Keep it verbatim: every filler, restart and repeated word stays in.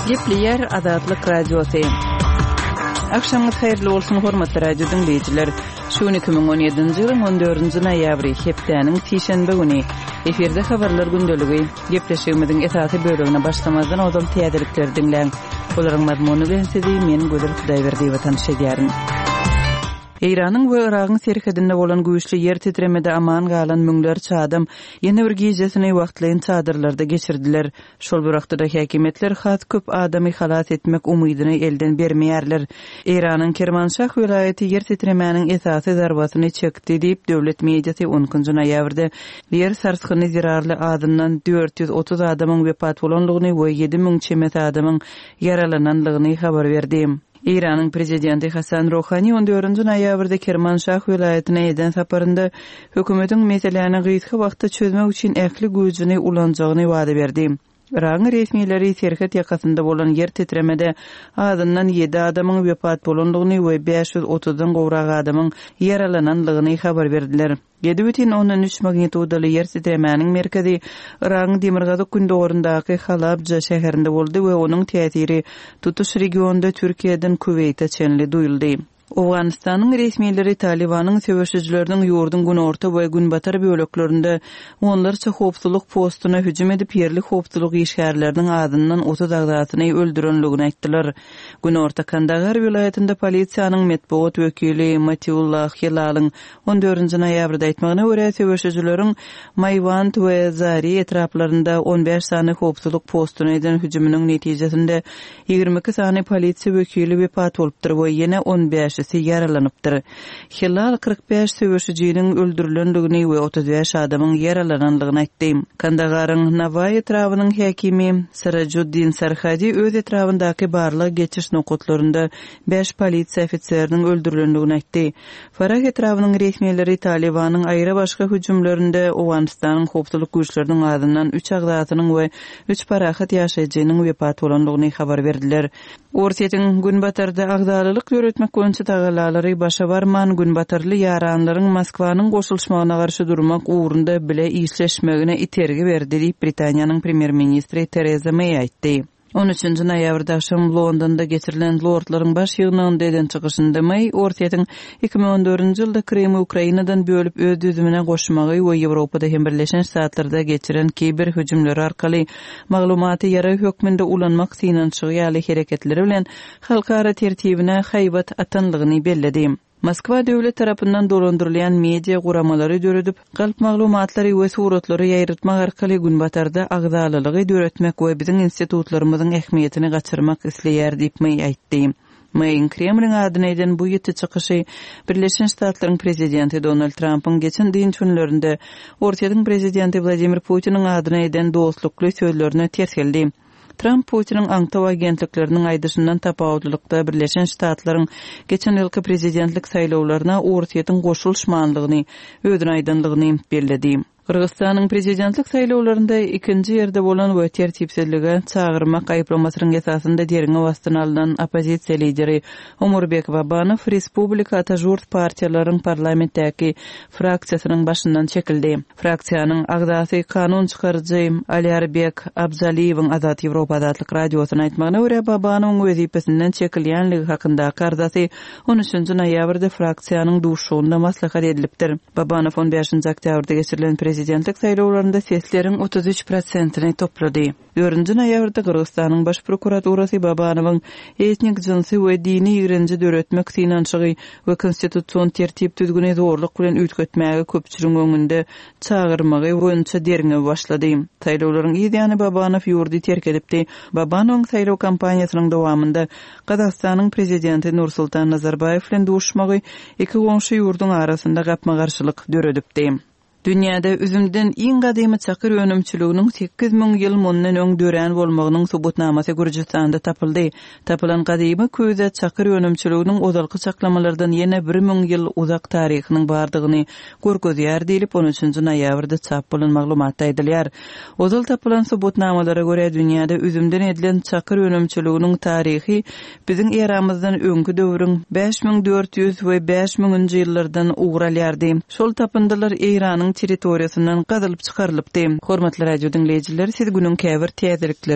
Gepleýär Azatlyk Radiosy. Agşamyňyz haýyrly bolsun, hormatly radio diňleýjiler. Şu gün iki müň on ýedinji ýylyň on dördünji noýabry, hepdäniň sişenbe güni. Efirde habarlar gündeligi. Gepleşigimiziň esasy bölegine başlamazdan ozal täzelikleri diňläň. Olaryň mazmuny bilen sizi men Gözel Hudaýberdiýewa tanyş edýärin. Eýranyň we Yragyň serhedinde bolan güýçli ýer titremede aman galan müňlerçe adam ýene bir gijesini wagtlaýyn çadyrlarda geçirdiler. Şol bir wagtda-da häkimiýetler has köp adamy halas etmek umydyny elden bermeýärler. Eýranyň Kermanşah welaýaty ýer titremäniň esasy zarbasyny çekdi diýip, döwlet mediasy on ikinji noýabrda ýer sarsgyny zerarly azyndan dört ýüz otuz adamyň wepat bolandygyny we ýedi müň çemesi adamyň ýaralanandygyny habar berdi. Eýranyň prezidenti Hasan Ruhani on dördünji noýabrda Kermanşah welaýatyna eden saparynda hökümetiň meseläni gysga wagtda çözmek üçin ähli güýjüni ulanjagyny wada berdi. Yragyň resmileri serhet ýakasynda bolan ýer titremede azyndan ýedi adamyň wepat bolandygyny we bäş ýüz otuzdan gowrak adamyň ýaralanandygyny habar berdiler. Ýedi bütin ondan üç magnitudaly ýer titremäniň merkezi Yragyň demirgazyk gündogaryndaky Halabja şäherinde boldy we onuň täsiri tutuş regionda Türkiýeden Kuweýte çenli duýuldy. Owganystanyň resmileri Talibanyň söweşijileriniň ýurduň günorta we günbatar böleklerinde onlarça howpsuzlyk postuna hüjüm edip, ýerli howpsuzlyk işgärleriniň azyndan otuz agzasyny öldürenligini aýtdylar. Günorta Kandahar welaýatynda polisiýanyň metbugat wekili Matiullah Hilalyň on dördünji noýabrda aýtmagyna görä, söweşijileriň Maýwand we Zari etraplarynda on bäş sany howpsuzlyk postuna eden hüjüminiň netijesinde ýigrimi iki sany polisiýa wekili wepat bolupdyr we ýene on bäşisi ýaralanypdyr. Hilal kyrk bäş söweşijiniň öldürilendigini we otuz bäş adamyň ýaralanandygyny aýtdy. Kandagaryň Nawaý etrabynyň häkimi Sarajuddin Sarhadi öz etrabyndaky barlag geçiş nokatlarynda bäş polisiýa ofiseriniň öldürilendigini aýtdy. Farah etrabynyň resmileri Talibanyň aýry başga hüjümlerinde Owganystanyň howpsuzlyk güýçleriniň azyndan üç agzasynyň we üç parahat ýaşaýjynyň wepat bolandygyny habar berdiler. Orsýetiň günbatarda agzalylyk döretmek boýunça tagalalary başa barman, günbatarly ýaranlaryň Moskwanyň goşulyşmagyna garşy durmak ugrunda bile işleşmegine itergi berdi diýip Britaniýanyň premýer-ministri Tereza Meý aýtdy. On üçünji noýabrda agşam Londonda geçirilen Lordlaryň baş ýygnagynda eden çykyşynda Meý Orsýetiň iki müň on dördünji ýylda Krymy Ukrainadan bölüp öz düzümine goşmagy we Ýewropada hem Birleşen Ştatlarda geçiren kiber hüjümleri arkaly maglumaty ýarag hökmünde ulanmak synanyşygy ýaly hereketleri bilen halkara tertibine haýbat atanlygyny belledi. Moskwa döwlet tarapyndan dolandyrylýan media guramalary döredip, galp maglumatlary we suratlary ýaýratmak arkaly günbatarda agzalylygy döretmek we biziň institutlarymyzyň ähmiýetini gaçyrmak isleýär diýip Meý aýtdy. Meýiň Kremliň adyna eden bu ýiti çykyşy Birleşen Ştatlaryň prezidenti Donald Trumpyň geçen dynç günlerinde Orsýetiň prezidenti Wladimir Putiniň adyna eden dostlukly sözlerine ters geldi. Trump Putiniň aňtaw agentlikleriniň aýdyşyndan tapawutlylykda Birleşen Ştatlaryň geçen ýylky prezidentlik saýlawlaryna Orsýetiň goşulyşmanlygyny, özüne aýdanlygyny belledi. Gyrgyzystanyň prezidentlik saýlawlarynda ikinji ýerde bolan we tertipsizlige çagyrmak aýyplamasynyň esasynda derňew astyna alnan oppozisiýa lideri Omurbek Babanow Respublika Atajurt partiýalaryň parlamentdäki fraksiýasynyň başyndan çekildi. Fraksiýanyň agzasy kanun çykaryjy Alýarbek Abzaliýewiň Azat Ýewropa Azatlyk radiosyna aýtmagyna görä Babanowyň wezipesinden çekilýänligi hakyndaky arzasy on üçünji noýabrda fraksiýanyň duşugynda maslahat edilipdir. Babanow on bäşinji oktýabrda geçirilen prezidentlik saýlawlarynda sesleriň otuz üç prosentini toplady. Dördünji noýabrda Gyrgyzystanyň baş prokuraturasy Babanowyň etnik jynsy we dini ýigrenji döretmek synanyşygy we konstitusion tertip düzgüni zorluk bilen üýtgetmäge köpçüligiň öňünde çagyrmagy boýunça derňew başlady. Saýlawlaryň yz ýany Babanow ýurdy terk edipdi. Babanowyň saýlaw kampaniýasynyň dowamynda Gazagystanyň prezidenti Nursultan Nazarbaýew bilen duşmagy iki goňşy ýurduň arasynda gapma-garşylyk döredipdi. Dünýäde üzümden iň gadymy çakyr önümçiliginiň sekiz müň ýyl mundan öň dörän bolmagynyň subutnamasy Gürjüstanda tapyldy. Tapylan gadymy köýde çakyr önümçiliginiň ozalky çaklamalardan ýene bir müň ýyl uzak taryhynyň bardygyny görkezýär diýlip on üçünji noýabrda çap bolan maglumatda aýdylýar. Ozal tapylan subutnamalara görä dünýäde üzümden edilen çakyr önümçiliginiň taryhy biziň eramyzdan öňki döwrüň bäş müň dört ýüz we bäş müňünji ýyllardan ugur alýardy. Şol tapyndylar Eýranyň territoriýasyndan gazylyp çykarylypdy. Hormatly radio diňleýjiler, siz günüň käbir täzelikleri